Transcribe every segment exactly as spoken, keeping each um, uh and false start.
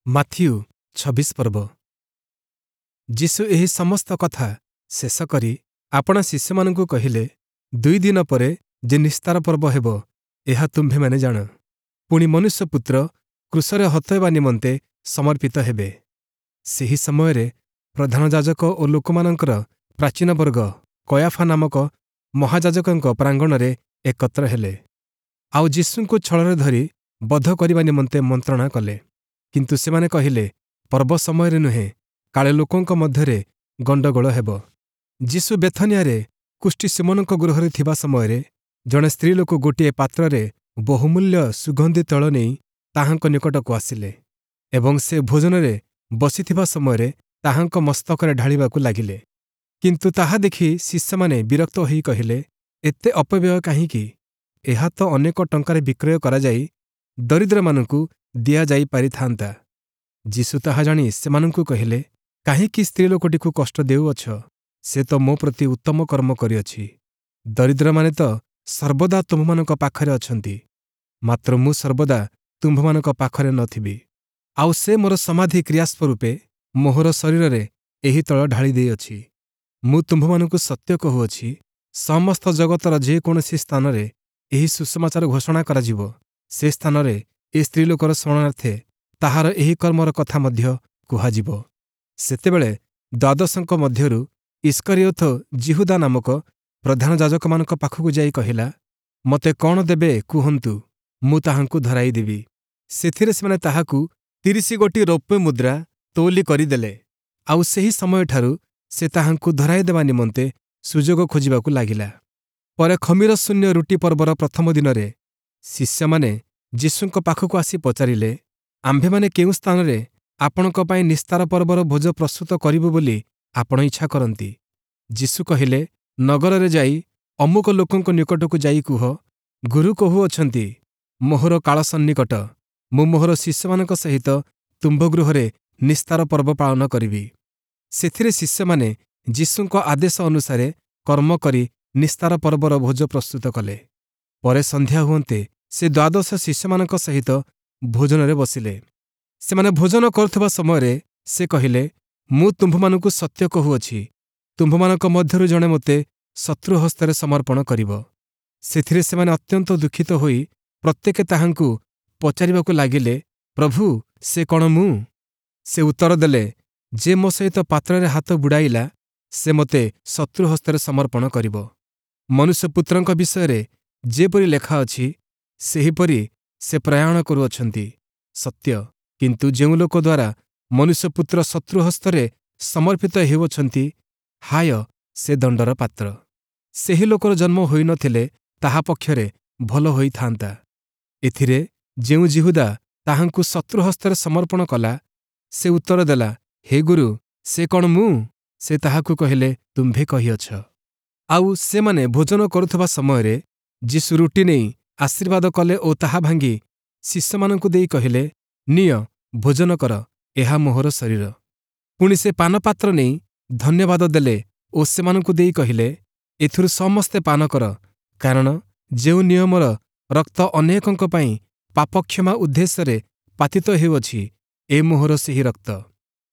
Matthew ଛବିଶ ପର୍ବ ଯୀଶୁ ଏହି ସମସ୍ତ କଥା ଶେଷ କରି ଆପଣା ଶିଷ୍ୟମାନଙ୍କୁ କହିଲେ, ଦୁଇ ଦିନ ପରେ ଯେ ନିସ୍ତାର ପର୍ବ ହେବ, ଏହା ତୁମ୍ଭେମାନେ ଜାଣ। ପୁଣି ମନୁଷ୍ୟପୁତ୍ର କ୍ରୁଶରେ ହତ ହେବା ନିମନ୍ତେ ସମର୍ପିତ ହେବେ। ସେହି ସମୟରେ ପ୍ରଧାନ ଯାଜକ ଓ ଲୋକମାନଙ୍କର ପ୍ରାଚୀନବର୍ଗ କୟାଫା ନାମକ ମହାଯାଜକଙ୍କ ପ୍ରାଙ୍ଗଣରେ ଏକତ୍ର ହେଲେ। ଆଉ ଯୀଶୁଙ୍କୁ ଛଳରେ ଧରି ବଧ କରିବା ନିମନ୍ତେ ମନ୍ତ୍ରଣା କଲେ। କିନ୍ତୁ ସେମାନେ କହିଲେ, ପର୍ବ ସମୟରେ ନୁହେଁ, କାଳେ ଲୋକଙ୍କ ମଧ୍ୟରେ ଗଣ୍ଡଗୋଳ ହେବ। ଯୀଶୁ ବେଥନିଆରେ କୁଷ୍ଠୀ ଶିମୋନଙ୍କ ଗୃହରେ ଥିବା ସମୟରେ ଜଣେ ସ୍ତ୍ରୀଲୋକ ଗୋଟିଏ ପାତ୍ରରେ ବହୁମୂଲ୍ୟ ସୁଗନ୍ଧି ତୈଳ ନେଇ ତାହାଙ୍କ ନିକଟକୁ ଆସିଲେ ଏବଂ ସେ ଭୋଜନରେ ବସିଥିବା ସମୟରେ ତାହାଙ୍କ ମସ୍ତକରେ ଢାଳିବାକୁ ଲାଗିଲେ। କିନ୍ତୁ ତାହା ଦେଖି ଶିଷ୍ୟମାନେ ବିରକ୍ତ ହୋଇ କହିଲେ, ଏତେ ଅପବ୍ୟୟ କାହିଁକି? ଏହା ତ ଅନେକ ଟଙ୍କାରେ ବିକ୍ରୟ କରାଯାଇ ଦରିଦ୍ରମାନଙ୍କୁ ଦିଆଯାଇପାରିଥାନ୍ତା। ଯୀଶୁ ତାହା ଜାଣି ସେମାନଙ୍କୁ କହିଲେ, କାହିଁକି ସ୍ତ୍ରୀଲୋକଟିକୁ କଷ୍ଟ ଦେଉଅଛ? ସେ ତ ମୋ ପ୍ରତି ଉତ୍ତମ କର୍ମ କରିଅଛି। ଦରିଦ୍ରମାନେ ତ ସର୍ବଦା ତୁମ୍ଭମାନଙ୍କ ପାଖରେ ଅଛନ୍ତି, ମାତ୍ର ମୁଁ ସର୍ବଦା ତୁମ୍ଭମାନଙ୍କ ପାଖରେ ନ ଥିବି। ଆଉ ସେ ମୋର ସମାଧି କ୍ରିୟାସ୍ୱରୂପେ ମୋହର ଶରୀରରେ ଏହି ତୈଳ ଢାଳି ଦେଇଅଛି। ମୁଁ ତୁମ୍ଭମାନଙ୍କୁ ସତ୍ୟ କହୁଅଛି, ସମସ୍ତ ଜଗତର ଯେକୌଣସି ସ୍ଥାନରେ ଏହି ସୁସମାଚାର ଘୋଷଣା କରାଯିବ, ସେ ସ୍ଥାନରେ ଏ ସ୍ତ୍ରୀଲୋକର ସ୍ମରଣାର୍ଥେ ତାହାର ଏହି କର୍ମର କଥା ମଧ୍ୟ କୁହାଯିବ। ସେତେବେଳେ ଦ୍ୱାଦଶଙ୍କ ମଧ୍ୟରୁ ଇଷ୍କରିୟୋତ ଯିହୁଦା ନାମକ ପ୍ରଧାନ ଯାଜକମାନଙ୍କ ପାଖକୁ ଯାଇ କହିଲା, ମୋତେ କ'ଣ ଦେବେ କୁହନ୍ତୁ, ମୁଁ ତାହାଙ୍କୁ ଧରାଇଦେବି। ସେଥିରେ ସେମାନେ ତାହାକୁ ତିରିଶ ଗୋଟି ରୌପ୍ୟ ମୁଦ୍ରା ତୌଲି କରିଦେଲେ। ଆଉ ସେହି ସମୟଠାରୁ ସେ ତାହାଙ୍କୁ ଧରାଇଦେବା ନିମନ୍ତେ ସୁଯୋଗ ଖୋଜିବାକୁ ଲାଗିଲା। ପରେ ଖମୀରଶୂନ୍ୟ ରୁଟି ପର୍ବର ପ୍ରଥମ ଦିନରେ ଶିଷ୍ୟମାନେ ଯୀଶୁଙ୍କ ପାଖକୁ ଆସି ପଚାରିଲେ, ଆମ୍ଭେମାନେ କେଉଁ ସ୍ଥାନରେ ଆପଣଙ୍କ ପାଇଁ ନିସ୍ତାର ପର୍ବର ଭୋଜ ପ୍ରସ୍ତୁତ କରିବୁ ବୋଲି ଆପଣ ଇଚ୍ଛା କରନ୍ତି? ଯୀଶୁ କହିଲେ, ନଗରରେ ଯାଇ ଅମୁକ ଲୋକଙ୍କ ନିକଟକୁ ଯାଇ କୁହ, ଗୁରୁ କହୁଅଛନ୍ତି, ମୋହର କାଳ ସନ୍ନିକଟ, ମୁଁ ମୋହର ଶିଷ୍ୟମାନଙ୍କ ସହିତ ତୁମ୍ଭ ଗୃହରେ ନିସ୍ତାର ପର୍ବ ପାଳନ କରିବି। ସେଥିରେ ଶିଷ୍ୟମାନେ ଯୀଶୁଙ୍କ ଆଦେଶ ଅନୁସାରେ କର୍ମ କରି ନିସ୍ତାର ପର୍ବର ଭୋଜ ପ୍ରସ୍ତୁତ କଲେ। ପରେ ସନ୍ଧ୍ୟା ହୁଅନ୍ତେ ସେ ଦ୍ୱାଦଶ ଶିଷ୍ୟମାନଙ୍କ ସହିତ ଭୋଜନରେ ବସିଲେ। ସେମାନେ ଭୋଜନ କରୁଥିବା ସମୟରେ ସେ କହିଲେ, ମୁଁ ତୁମ୍ଭମାନଙ୍କୁ ସତ୍ୟ କହୁଅଛି, ତୁମ୍ଭମାନଙ୍କ ମଧ୍ୟରୁ ଜଣେ ମୋତେ ଶତ୍ରୁ ହସ୍ତରେ ସମର୍ପଣ କରିବ। ସେଥିରେ ସେମାନେ ଅତ୍ୟନ୍ତ ଦୁଃଖିତ ହୋଇ ପ୍ରତ୍ୟେକେ ତାହାଙ୍କୁ ପଚାରିବାକୁ ଲାଗିଲେ, ପ୍ରଭୁ, ସେ କ'ଣ ମୁଁ? ସେ ଉତ୍ତର ଦେଲେ, ଯେ ମୋ ସହିତ ପାତ୍ରରେ ହାତ ବୁଡ଼ାଇଲା, ସେ ମୋତେ ଶତ୍ରୁ ହସ୍ତରେ ସମର୍ପଣ କରିବ। ମନୁଷ୍ୟପୁତ୍ରଙ୍କ ବିଷୟରେ ଯେପରି ଲେଖା ଅଛି, ସେହିପରି ସେ ପ୍ରୟାଣ କରୁଅଛନ୍ତି, ସତ୍ୟ। କିନ୍ତୁ ଯେଉଁ ଲୋକ ଦ୍ୱାରା ମନୁଷ୍ୟପୁତ୍ର ଶତ୍ରୁ ହସ୍ତରେ ସମର୍ପିତ ହେଉଅଛନ୍ତି, ହାୟ, ସେ ଦଣ୍ଡର ପାତ୍ର। ସେହି ଲୋକର ଜନ୍ମ ହୋଇନଥିଲେ ତାହା ପକ୍ଷରେ ଭଲ ହୋଇଥାନ୍ତା। ଏଥିରେ ଯେଉଁ ଯିହୁଦା ତାହାଙ୍କୁ ଶତ୍ରୁ ହସ୍ତରେ ସମର୍ପଣ କଲା, ସେ ଉତ୍ତର ଦେଲା, ହେ ଗୁରୁ, ସେ କ'ଣ ମୁଁ? ସେ ତାହାକୁ କହିଲେ, ତୁମ୍ଭେ କହିଅଛ। ଆଉ ସେମାନେ ଭୋଜନ କରୁଥିବା ସମୟରେ ଯୀଶୁ ରୁଟି ନେଇ ଆଶୀର୍ବାଦ କଲେ ଓ ତାହା ଭାଙ୍ଗି ଶିଷ୍ୟମାନଙ୍କୁ ଦେଇ କହିଲେ, ନିଅ, ଭୋଜନ କର, ଏହା ମୋହର ଶରୀର। ପୁଣି ସେ ପାନପାତ୍ର ନେଇ ଧନ୍ୟବାଦ ଦେଲେ ଓ ସେମାନଙ୍କୁ ଦେଇ କହିଲେ, ଏଥିରୁ ସମସ୍ତେ ପାନ କର, କାରଣ ଯେଉଁ ନିୟମର ରକ୍ତ ଅନେକଙ୍କ ପାଇଁ ପାପକ୍ଷମା ଉଦ୍ଦେଶ୍ୟରେ ପାତିତ ହେଉଅଛି, ଏ ମୋହର ସେହି ରକ୍ତ।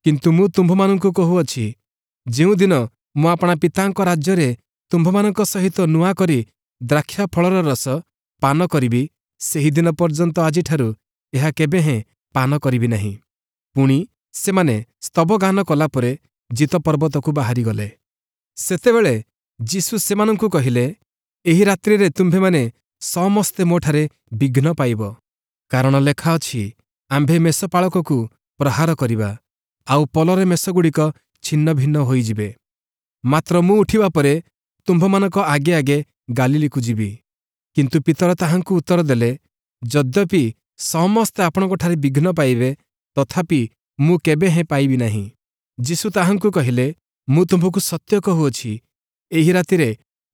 କିନ୍ତୁ ମୁଁ ତୁମ୍ଭମାନଙ୍କୁ କହୁଅଛି, ଯେଉଁଦିନ ମୁଁ ଆପଣା ପିତାଙ୍କ ରାଜ୍ୟରେ ତୁମ୍ଭମାନଙ୍କ ସହିତ ନୂଆ କରି ଦ୍ରାକ୍ଷା ଫଳର ରସ ପାନ କରିବି, ସେହିଦିନ ପର୍ଯ୍ୟନ୍ତ ଆଜିଠାରୁ ଏହା କେବେହେଁ ପାନ କରିବି ନାହିଁ। ପୁଣି ସେମାନେ ସ୍ତବଗାନ କଲା ପରେ ଜୀତ ପର୍ବତକୁ ବାହାରିଗଲେ। ସେତେବେଳେ ଯୀଶୁ ସେମାନଙ୍କୁ କହିଲେ, ଏହି ରାତ୍ରିରେ ତୁମ୍ଭେମାନେ ସମସ୍ତେ ମୋଠାରେ ବିଘ୍ନ ପାଇବ। କାରଣ ଲେଖା ଅଛି, ଆମ୍ଭେ ମେଷପାଳକକୁ ପ୍ରହାର କରିବା, ଆଉ ପଲରେ ମେଷଗୁଡ଼ିକ ଛିନ୍ନଭିନ୍ନ ହୋଇଯିବେ। ମାତ୍ର ମୁଁ ଉଠିବା ପରେ ତୁମ୍ଭମାନଙ୍କ ଆଗେ ଆଗେ ଗାଲିଲୀକୁ ଯିବି। କିନ୍ତୁ ପିତର ତାହାଙ୍କୁ ଉତ୍ତର ଦେଲେ, ଯଦ୍ୟପି ସମସ୍ତେ ଆପଣଙ୍କଠାରେ ବିଘ୍ନ ପାଇବେ, ତଥାପି ମୁଁ କେବେହେଁ ପାଇବି ନାହିଁ। ଯୀଶୁ ତାହାଙ୍କୁ କହିଲେ, ମୁଁ ତୁମ୍ଭକୁ ସତ୍ୟ କହୁଅଛି, ଏହି ରାତିରେ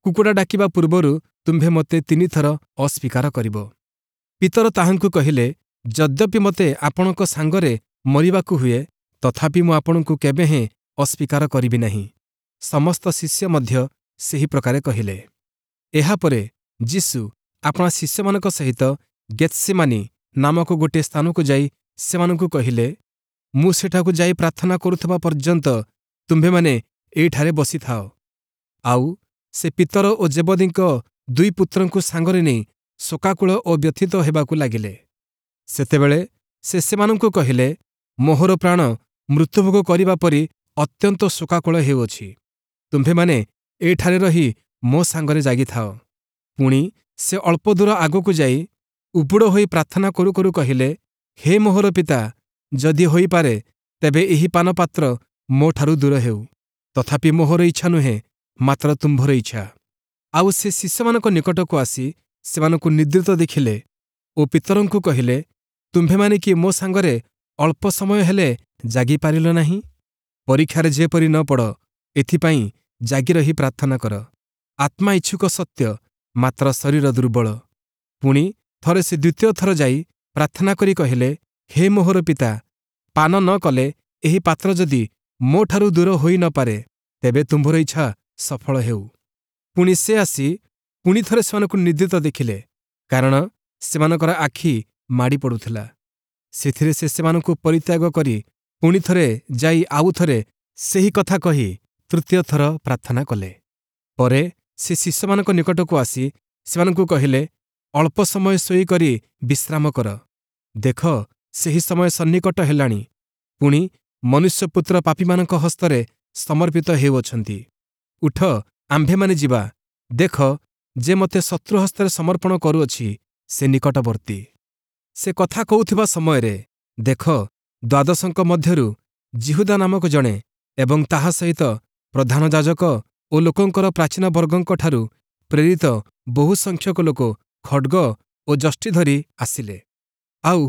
କୁକୁଡ଼ା ଡାକିବା ପୂର୍ବରୁ ତୁମ୍ଭେ ମୋତେ ତିନିଥର ଅସ୍ୱୀକାର କରିବ। ପିତର ତାହାଙ୍କୁ କହିଲେ, ଯଦ୍ୟପି ମୋତେ ଆପଣଙ୍କ ସାଙ୍ଗରେ ମରିବାକୁ ହୁଏ, ତଥାପି ମୁଁ ଆପଣଙ୍କୁ କେବେହେଁ ଅସ୍ୱୀକାର କରିବି ନାହିଁ। ସମସ୍ତ ଶିଷ୍ୟ ମଧ୍ୟ ସେହି ପ୍ରକାରେ କହିଲେ। ଏହାପରେ ଯୀଶୁ ଆପଣା ଶିଷ୍ୟମାନଙ୍କ ସହିତ ଗେତ୍ସେମାନି ନାମକ ଗୋଟିଏ ସ୍ଥାନକୁ ଯାଇ ସେମାନଙ୍କୁ କହିଲେ, ମୁଁ ସେଠାକୁ ଯାଇ ପ୍ରାର୍ଥନା କରୁଥିବା ପର୍ଯ୍ୟନ୍ତ ତୁମ୍ଭେମାନେ ଏଇଠାରେ ବସିଥାଅ। ଆଉ ସେ ପିତର ଓ ଜେବଦୀଙ୍କ ଦୁଇ ପୁତ୍ରଙ୍କୁ ସାଙ୍ଗରେ ନେଇ ଶୋକାକୁଳ ଓ ବ୍ୟଥିତ ହେବାକୁ ଲାଗିଲେ। ସେତେବେଳେ ସେ ସେମାନଙ୍କୁ କହିଲେ, ମୋହର ପ୍ରାଣ ମୃତ୍ୟୁଭୋଗ କରିବା ପରି ଅତ୍ୟନ୍ତ ଶୋକାକୁଳ ହେଉଅଛି। ତୁମ୍ଭେମାନେ ଏଇଠାରେ ରହି ମୋ ସାଙ୍ଗରେ ଜାଗିଥାଅ। ପୁଣି ସେ ଅଳ୍ପ ଦୂର ଆଗକୁ ଯାଇ ଉବୁଡ଼ ହୋଇ ପ୍ରାର୍ଥନା କରୁ କରୁ କହିଲେ, ହେ ମୋହର ପିତା, ଯଦି ହୋଇପାରେ ତେବେ ଏହି ପାନପାତ୍ର ମୋଠାରୁ ଦୂର ହେଉ। ତଥାପି ମୋହର ଇଚ୍ଛା ନୁହେଁ, ମାତ୍ର ତୁମ୍ଭର ଇଚ୍ଛା। ଆଉ ସେ ଶିଷ୍ୟମାନଙ୍କ ନିକଟକୁ ଆସି ସେମାନଙ୍କୁ ନିଦ୍ରିତ ଦେଖିଲେ ଓ ପିତରଙ୍କୁ କହିଲେ, ତୁମ୍ଭେମାନେ କି ମୋ ସାଙ୍ଗରେ ଅଳ୍ପ ସମୟ ହେଲେ ଜାଗିପାରିଲ ନାହିଁ? ପରୀକ୍ଷାରେ ଯେପରି ନ ପଡ଼, ଏଥିପାଇଁ ଜାଗି ରହି ପ୍ରାର୍ଥନା କର। ଆତ୍ମା ଇଚ୍ଛୁକ ସତ୍ୟ, ମାତ୍ର ଶରୀର ଦୁର୍ବଳ। ପୁଣି ଥରେ ସେ ଦ୍ୱିତୀୟ ଥର ଯାଇ ପ୍ରାର୍ଥନା କରି କହିଲେ, ହେ ମୋହର ପିତା, ପାନ ନ କଲେ ଏହି ପାତ୍ର ଯଦି ମୋଠାରୁ ଦୂର ହୋଇ ନ ପାରେ, ତେବେ ତୁମ୍ଭର ଇଚ୍ଛା ସଫଳ ହେଉ। ପୁଣି ସେ ଆସି ପୁଣି ଥରେ ସେମାନଙ୍କୁ ନିଦ୍ରିତ ଦେଖିଲେ, କାରଣ ସେମାନଙ୍କର ଆଖି ମାଡ଼ି ପଡ଼ୁଥିଲା। ସେଥିରେ ସେ ସେମାନଙ୍କୁ ପରିତ୍ୟାଗ କରି ପୁଣି ଥରେ ଯାଇ ଆଉ ଥରେ ସେହି କଥା କହି ତୃତୀୟ ଥର ପ୍ରାର୍ଥନା କଲେ। ପରେ ସେ ଶିଷ୍ୟମାନଙ୍କ ନିକଟକୁ ଆସି ସେମାନଙ୍କୁ କହିଲେ, ଅଳ୍ପ ସମୟ ଶୋଇକରି ବିଶ୍ରାମ କର। ଦେଖ, ସେହି ସମୟ ସନ୍ନିକଟ ହେଲାଣି, ପୁଣି ମନୁଷ୍ୟପୁତ୍ର ପାପୀମାନଙ୍କ ହସ୍ତରେ ସମର୍ପିତ ହେଉଅଛନ୍ତି। ଉଠ, ଆମ୍ଭେମାନେ ଯିବା। ଦେଖ, ଯେ ମୋତେ ଶତ୍ରୁ ହସ୍ତରେ ସମର୍ପଣ କରୁଅଛି, ସେ ନିକଟବର୍ତ୍ତୀ। ସେ କଥା କହୁଥିବା ସମୟରେ ଦେଖ, ଦ୍ୱାଦଶଙ୍କ ମଧ୍ୟରୁ ଯିହୁଦା ନାମକ ଜଣେ ଏବଂ ତାହା ସହିତ ପ୍ରଧାନ ଯାଜକ ଓ ଲୋକଙ୍କର ପ୍ରାଚୀନ ବର୍ଗଙ୍କଠାରୁ ପ୍ରେରିତ ବହୁ ସଂଖ୍ୟକ ଲୋକ ଖଡ୍ଗ ଓ ଯଷ୍ଟି ଧରି ଆସିଲେ। ଆଉ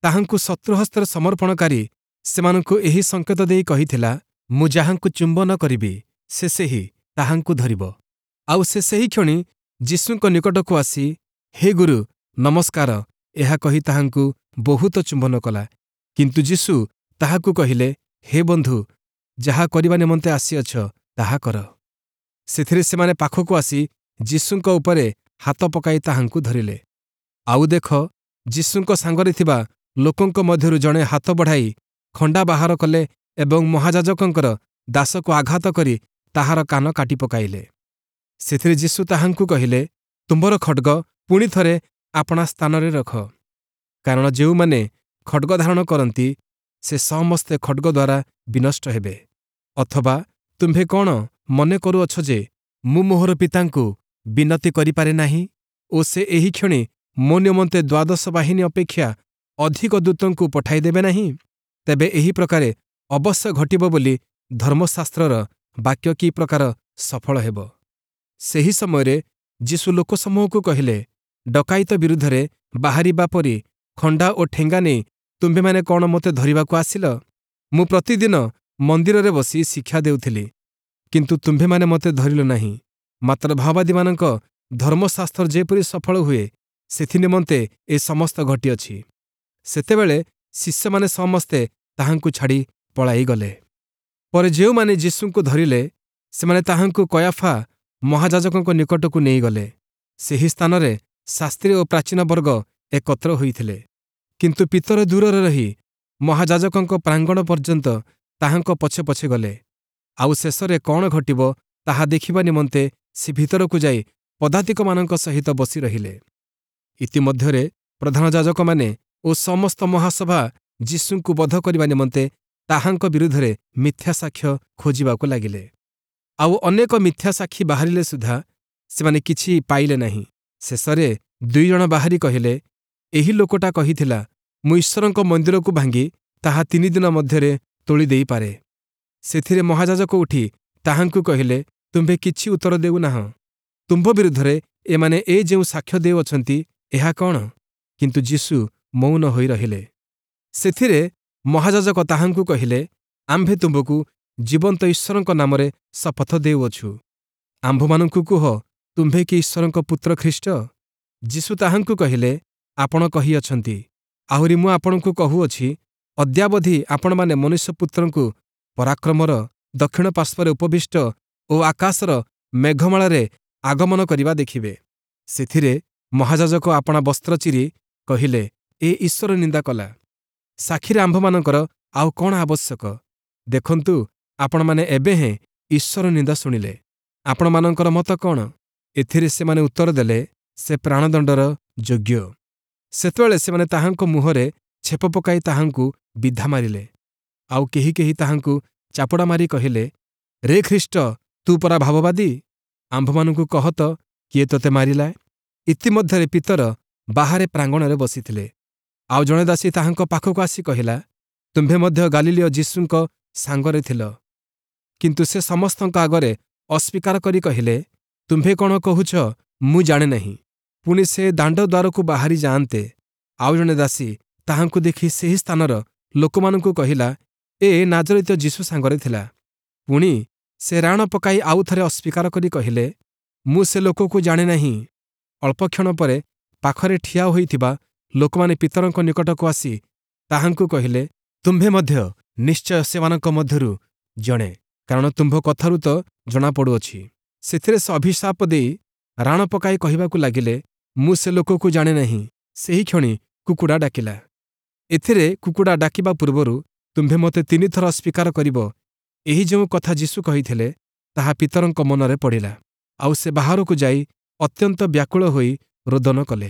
ତାହାଙ୍କୁ ଶତ୍ରୁ ହସ୍ତରେ ସମର୍ପଣକାରୀ ସେମାନଙ୍କୁ ଏହି ସଂକେତ ଦେଇ କହିଥିଲା, ମୁଁ ଯାହାଙ୍କୁ ଚୁମ୍ବନ କରିବି, ସେ ସେହି, ତାହାଙ୍କୁ ଧରିବ। ଆଉ ସେ ସେହିକ୍ଷଣି ଯୀଶୁଙ୍କ ନିକଟକୁ ଆସି, ହେ ଗୁରୁ, ନମସ୍କାର, ଏହା କହି ତାହାଙ୍କୁ ବହୁତ ଚୁମ୍ବନ କଲା। କିନ୍ତୁ ଯୀଶୁ ତାହାକୁ କହିଲେ, ହେ ବନ୍ଧୁ, ଯାହା କରିବା ନିମନ୍ତେ ଆସିଅଛ, ତାହା କର। ସେଥିରେ ସେମାନେ ପାଖକୁ ଆସି ଯୀଶୁଙ୍କ ଉପରେ ହାତ ପକାଇ ତାହାଙ୍କୁ ଧରିଲେ। ଆଉ ଦେଖ, ଯୀଶୁଙ୍କ ସାଙ୍ଗରେ ଥିବା ଲୋକଙ୍କ ମଧ୍ୟରୁ ଜଣେ ହାତ ବଢ଼ାଇ ଖଣ୍ଡା ବାହାର କଲେ ଏବଂ ମହାଯାଜକଙ୍କର ଦାସକୁ ଆଘାତ କରି ତାହାର କାନ କାଟି ପକାଇଲେ। ସେଥିରେ ଯୀଶୁ ତାହାଙ୍କୁ କହିଲେ, ତୁମ୍ଭର ଖଡ୍ଗ ପୁଣି ଥରେ ଆପଣା ସ୍ଥାନରେ ରଖ, କାରଣ ଯେଉଁମାନେ ଖଡ୍ଗ ଧାରଣ କରନ୍ତି, ସେ ସମସ୍ତେ ଖଡ୍ଗ ଦ୍ୱାରା ବିନଷ୍ଟ ହେବେ। ଅଥବା ତୁମ୍ଭେ କ'ଣ ମନେ କରୁଅଛ ଯେ ମୁଁ ମୋହର ପିତାଙ୍କୁ ବିନତି କରିପାରେ ନାହିଁ ଓ ସେ ଏହିକ୍ଷଣି ମୋ ନିମନ୍ତେ ଦ୍ୱାଦଶ ବାହିନୀ ଅପେକ୍ଷା ଅଧିକ ଦୂତଙ୍କୁ ପଠାଇଦେବେ ନାହିଁ? ତେବେ ଏହି ପ୍ରକାରେ ଅବଶ୍ୟ ଘଟିବ ବୋଲି ଧର୍ମଶାସ୍ତ୍ରର ବାକ୍ୟ କି ପ୍ରକାର ସଫଳ ହେବ? ସେହି ସମୟରେ ଯୀଶୁ ଲୋକସମୂହକୁ କହିଲେ, ଡକାୟତ ବିରୁଦ୍ଧରେ ବାହାରିବା ପରି ଖଣ୍ଡା ଓ ଠେଙ୍ଗା ନେଇ ତୁମ୍ଭେମାନେ କ'ଣ ମୋତେ ଧରିବାକୁ ଆସିଲ? ମୁଁ ପ୍ରତିଦିନ ମନ୍ଦିରରେ ବସି ଶିକ୍ଷା ଦେଉଥିଲି, କିନ୍ତୁ ତୁମ୍ଭେମାନେ ମୋତେ ଧରିଲ ନାହିଁ। ମାତ୍ର ଭାବବାଦୀମାନଙ୍କ ଧର୍ମଶାସ୍ତ୍ର ଯେପରି ସଫଳ ହୁଏ, ସେଥିନିମନ୍ତେ ଏ ସମସ୍ତ ଘଟିଅଛି। ସେତେବେଳେ ଶିଷ୍ୟମାନେ ସମସ୍ତେ ତାହାଙ୍କୁ ଛାଡ଼ି ପଳାଇଗଲେ। ପରେ ଯେଉଁମାନେ ଯୀଶୁଙ୍କୁ ଧରିଲେ, ସେମାନେ ତାହାଙ୍କୁ କୟାଫା ମହାଯାଜକଙ୍କ ନିକଟକୁ ନେଇଗଲେ। ସେହି ସ୍ଥାନରେ ଶାସ୍ତ୍ରୀ ଓ ପ୍ରାଚୀନ ବର୍ଗ ଏକତ୍ର ହୋଇଥିଲେ। କିନ୍ତୁ ପିତର ଦୂରରେ ରହି ମହାଯାଜକଙ୍କ ପ୍ରାଙ୍ଗଣ ପର୍ଯ୍ୟନ୍ତ ତାହାଙ୍କ ପଛେ ପଛେ ଗଲେ। ଆଉ ଶେଷରେ କ'ଣ ଘଟିବ ତାହା ଦେଖିବା ନିମନ୍ତେ ସେ ଭିତରକୁ ଯାଇ ପଦାତିକମାନଙ୍କ ସହିତ ବସି ରହିଲେ। ଇତିମଧ୍ୟରେ ପ୍ରଧାନ ଯାଜକମାନେ ଓ ସମସ୍ତ ମହାସଭା ଯୀଶୁଙ୍କୁ ବଧ କରିବା ନିମନ୍ତେ ତାହାଙ୍କ ବିରୁଦ୍ଧରେ ମିଥ୍ୟା ସାକ୍ଷ୍ୟ ଖୋଜିବାକୁ ଲାଗିଲେ। ଆଉ ଅନେକ ମିଥ୍ୟା ସାକ୍ଷୀ ବାହାରିଲେ ସୁଦ୍ଧା ସେମାନେ କିଛି ପାଇଲେ ନାହିଁ। ଶେଷରେ ଦୁଇ ଜଣ ବାହାରି କହିଲେ, ଏହି ଲୋକଟା କହିଥିଲା, ମୁଁ ଈଶ୍ୱରଙ୍କ ମନ୍ଦିରକୁ ଭାଙ୍ଗି ତାହା ତିନି ଦିନ ମଧ୍ୟରେ ତୋଳି ଦେଇପାରେ। ସେଥିରେ ମହାଯାଜକ ଉଠି ତାହାଙ୍କୁ କହିଲେ, ତୁମ୍ଭେ କିଛି ଉତ୍ତର ଦେଉନାହଁ? ତୁମ୍ଭ ବିରୁଦ୍ଧରେ ଏମାନେ ଏ ଯେଉଁ ସାକ୍ଷ୍ୟ ଦେଉଅଛନ୍ତି, ଏହା କ'ଣ? କିନ୍ତୁ ଯୀଶୁ ମୌନ ହୋଇ ରହିଲେ। ସେଥିରେ ମହାଯାଜକ ତାହାଙ୍କୁ କହିଲେ, ଆମ୍ଭେ ତୁମ୍ଭକୁ ଜୀବନ୍ତ ଈଶ୍ୱରଙ୍କ ନାମରେ ଶପଥ ଦେଉଅଛୁ, ଆମ୍ଭମାନଙ୍କୁ କୁହ, ତୁମ୍ଭେ କି ଈଶ୍ୱରଙ୍କ ପୁତ୍ର ଖ୍ରୀଷ୍ଟ? ଯୀଶୁ ତାହାଙ୍କୁ କହିଲେ, ଆପଣ କହିଅଛନ୍ତି। ଆହୁରି ମୁଁ ଆପଣଙ୍କୁ କହୁଅଛି, ଅଦ୍ୟାବଧି ଆପଣମାନେ ମନୁଷ୍ୟପୁତ୍ରଙ୍କୁ ପରାକ୍ରମର ଦକ୍ଷିଣ ପାର୍ଶ୍ୱରେ ଉପବିଷ୍ଟ ଓ ଆକାଶର ମେଘମାଳାରେ ଆଗମନ କରିବା ଦେଖିବେ। ସେଥିରେ ମହାଯାଜକ ଆପଣା ବସ୍ତ୍ର ଚିରି କହିଲେ, ଏ ଈଶ୍ୱର ନିନ୍ଦା କଲା। ସାକ୍ଷୀରେ ଆମ୍ଭମାନଙ୍କର ଆଉ କ'ଣ ଆବଶ୍ୟକ? ଦେଖନ୍ତୁ, ଆପଣମାନେ ଏବେ ହେଁ ଈଶ୍ୱର ନିନ୍ଦା ଶୁଣିଲେ। ଆପଣମାନଙ୍କର ମତ କ'ଣ? ଏଥିରେ ସେମାନେ ଉତ୍ତର ଦେଲେ, ସେ ପ୍ରାଣଦଣ୍ଡର ଯୋଗ୍ୟ। ସେତେବେଳେ ସେମାନେ ତାହାଙ୍କ ମୁହଁରେ ଛେପ ପକାଇ ତାହାଙ୍କୁ ବିଧା ମାରିଲେ। ଆଉ କେହି କେହି ତାହାଙ୍କୁ ଚାପୁଡ଼ା ମାରି କହିଲେ, ରେ ଖ୍ରୀଷ୍ଟ, ତୁ ପରା ଭାବବାଦୀ, ଆମ୍ଭମାନଙ୍କୁ କହ ତ, କିଏ ତୋତେ ମାରିଲା? ଇତିମଧ୍ୟରେ ପିତର ବାହାରେ ପ୍ରାଙ୍ଗଣରେ ବସିଥିଲେ। ଆଉ ଜଣେ ଦାସୀ ତାହାଙ୍କ ପାଖକୁ ଆସି କହିଲା, ତୁମ୍ଭେ ମଧ୍ୟ ଗାଲିଲୀୟ ଯୀଶୁଙ୍କ ସାଙ୍ଗରେ ଥିଲ। କିନ୍ତୁ ସେ ସମସ୍ତଙ୍କ ଆଗରେ ଅସ୍ୱୀକାର କରି କହିଲେ, ତୁମ୍ଭେ କ'ଣ କହୁଛ ମୁଁ ଜାଣେ ନାହିଁ। ପୁଣି ସେ ଦାଣ୍ଡ ଦ୍ୱାରକୁ ବାହାରି ଯାଆନ୍ତେ ଆଉ ଜଣେ ଦାସୀ ତାହାଙ୍କୁ ଦେଖି ସେହି ସ୍ଥାନର ଲୋକମାନଙ୍କୁ କହିଲା, ଏ ନାଜରିତ ଯୀଶୁ ସାଙ୍ଗରେ ଥିଲା। ପୁଣି ସେ ରାଣ ପକାଇ ଆଉ ଥରେ ଅସ୍ୱୀକାର କରି କହିଲେ, ମୁଁ ସେ ଲୋକକୁ ଜାଣେ ନାହିଁ। ଅଳ୍ପକ୍ଷଣ ପରେ ପାଖରେ ଠିଆ ହୋଇଥିବା ଲୋକମାନେ ପିତରଙ୍କ ନିକଟକୁ ଆସି ତାହାଙ୍କୁ କହିଲେ, ତୁମ୍ଭେ ମଧ୍ୟ ନିଶ୍ଚୟ ସେମାନଙ୍କ ମଧ୍ୟରୁ ଜଣେ, କାରଣ ତୁମ୍ଭ କଥାରୁ ତ ଜଣାପଡ଼ୁଅଛି। ସେଥିରେ ସେ ଅଭିଶାପ ଦେଇ ରାଣ ପକାଇ କହିବାକୁ ଲାଗିଲେ, ମୁଁ ସେ ଲୋକକୁ ଜାଣେ ନାହିଁ। ସେହିକ୍ଷଣି କୁକୁଡ଼ା ଡାକିଲା। ଏଥିରେ କୁକୁଡ଼ା ଡାକିବା ପୂର୍ବରୁ ତୁମ୍ଭେ ମୋତେ ତିନିଥର ଅସ୍ୱୀକାର କରିବ, ଏହି ଯେଉଁ କଥା ଯୀଶୁ କହିଥିଲେ, ତାହା ପିତରଙ୍କ ମନରେ ପଡ଼ିଲା। ଆଉ ସେ ବାହାରକୁ ଯାଇ ଅତ୍ୟନ୍ତ ବ୍ୟାକୁଳ ହୋଇ ରୋଦନ କଲେ।